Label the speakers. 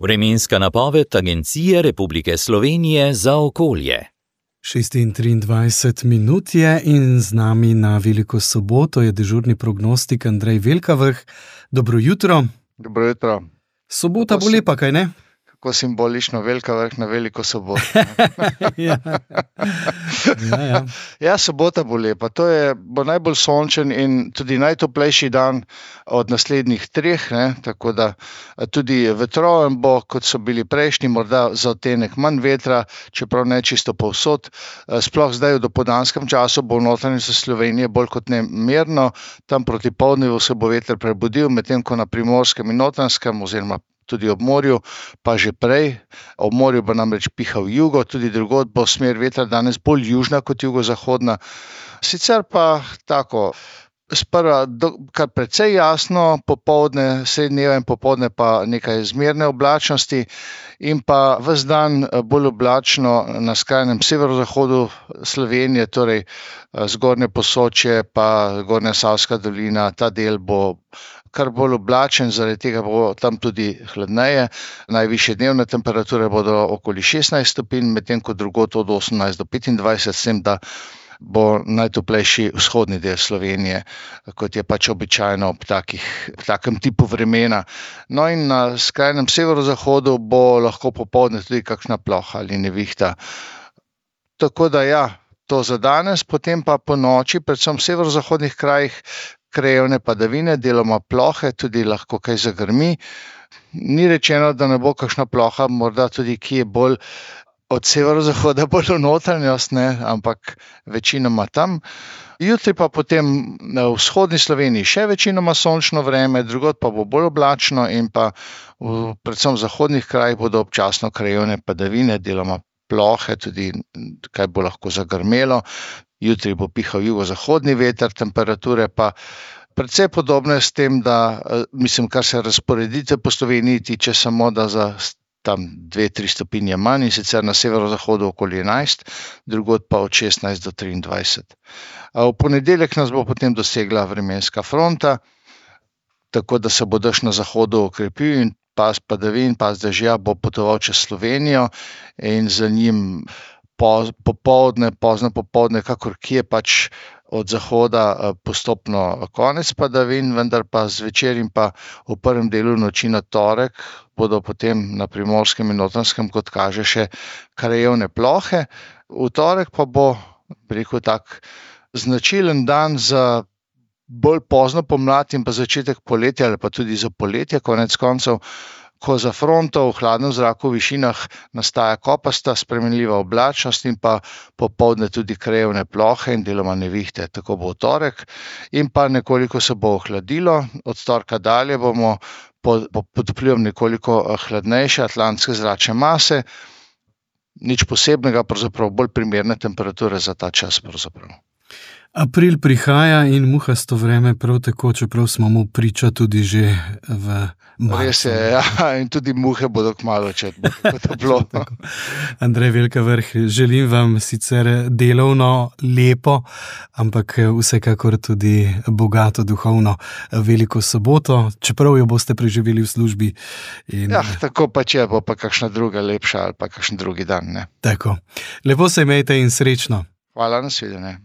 Speaker 1: Vremenska napoved Agencije Republike Slovenije za okolje.
Speaker 2: 6:23 minut je in z nami na Veliko soboto je dežurni prognostik Andrej Velkavrh. Dobro jutro.
Speaker 3: Dobro jutro.
Speaker 2: Sobota bo lepa, kaj ne?
Speaker 3: Kako simbolično, Velkavrh na Veliko soboto.
Speaker 2: Ja.
Speaker 3: Ja, sobota bo lepa. Bo najbolj sončen in tudi najtoplejši dan od naslednjih 3, ne? Tako da tudi vetroven bo, kot so bili prejšnji, morda za odtenek manj vetra, čeprav ne čisto povsod. Sploh zdaj v dopoldanskem času bo v notranjosti Slovenije bolj kot ne mirno. Tam proti poldnevu se bo veter prebudil, medtem ko na Primorskem in Notranjskem oziroma tudi ob morju, pa že prej. Ob morju bo namreč pihal jugo, tudi drugod bo smer vetra danes bolj južna kot jugozahodna. Sicer pa tako, sprva kar precej jasno, popoldne, sredi dneva in popoldne pa nekaj zmerne oblačnosti in pa ves dan bolj oblačno na skrajnem severozahodu Slovenije, torej zgornje Posočje pa Gornja Savska dolina, ta del bo kar bolj oblačen, zaradi tega bo tam tudi hladneje. Najvišje dnevne temperature bodo okoli 16 stopinj, medtem ko drugod od 18 do 25, s tem, da bo najtoplejši vzhodni del Slovenije, kot je pač običajno ob takem tipu vremena. No in na skrajnem severozahodu bo lahko popoldne tudi kakšna ploha ali nevihta. Tako da ja, to za danes, potem pa po noči, predvsem v severozahodnih krajih, krajevne padavine, deloma plohe, tudi lahko kaj zagrmi. Ni rečeno, da ne bo kakšna ploha, morda tudi kje bolj od severozahoda, bolj v notranjost, ne, ampak večinoma tam. Jutri pa potem na vzhodni Sloveniji še večinoma sončno vreme, drugod pa bo bolj oblačno in pa predvsem v zahodnih krajih bodo občasno krajevne padavine, deloma plohe, tudi kaj bo lahko zagrmelo. Jutri bo pihal jugozahodni veter, temperature pa precej podobne s tem, da, kar se razporeditve po Sloveniji tiče, samo da za tam 2-3 stopinje manj, in sicer na severozahodu okoli 11, drugod pa od 16 do 23. V ponedeljek nas bo potem dosegla vremenska fronta, tako da se bo dež na zahodu okrepil in pas padavin, pas dežja bo potoval čez Slovenijo in za njim pozno popoldne, kakor kje pač od zahoda postopno konec padavin, vendar pa zvečer in pa v prvem delu noči na torek bodo potem na Primorskem in Notranjskem, kot kaže, še krajevne plohe. V torek pa bo, tak značilen dan za bolj pozno pomlad in pa začetek poletja ali pa tudi za poletje, konec koncev, ko za fronto v hladnem zraku v višinah nastaja kopasta, spremenljiva oblačnost in pa popoldne tudi krajevne plohe in deloma nevihte. Tako bo v torek in pa nekoliko se bo ohladilo. Od torka dalje bomo pod vplivom nekoliko hladnejše atlantske zračne mase. Nič posebnega, pravzaprav bolj primerne temperature za ta čas pravzaprav.
Speaker 2: April prihaja in muhasto vreme prav tako, čeprav smo mu priča tudi že v marcu.
Speaker 3: Res je, ja, in tudi muhe bodo kmalu, če bo toplo.
Speaker 2: Andrej Velkavrh, želim vam sicer delovno, lepo, ampak vsekakor tudi bogato duhovno Veliko soboto, čeprav jo boste preživeli v službi.
Speaker 3: Ja, tako pa če bo pa kakšna druga lepša ali pa kakšen drugi dan, ne.
Speaker 2: Tako. Lepo se imejte in srečno.
Speaker 3: Hvala, nasvidenje.